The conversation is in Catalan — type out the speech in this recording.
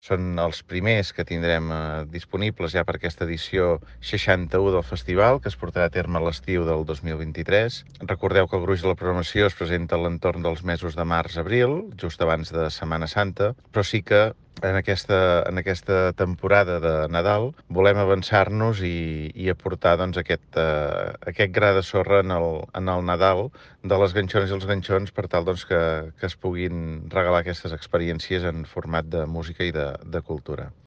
Són els primers que tindrem disponibles ja per aquesta edició 61 del festival, que es portarà a terme a l'estiu del 2023. Recordeu que el gruix de la programació es presenta a l'entorn dels mesos de març-abril, just abans de Setmana Santa, però sí que en aquesta temporada de Nadal volem avançar-nos i aportar doncs, aquest gra de sorra en el Nadal de les ganxones i els ganxons per tal doncs, que es puguin regalar aquestes experiències en format de música i de cultura.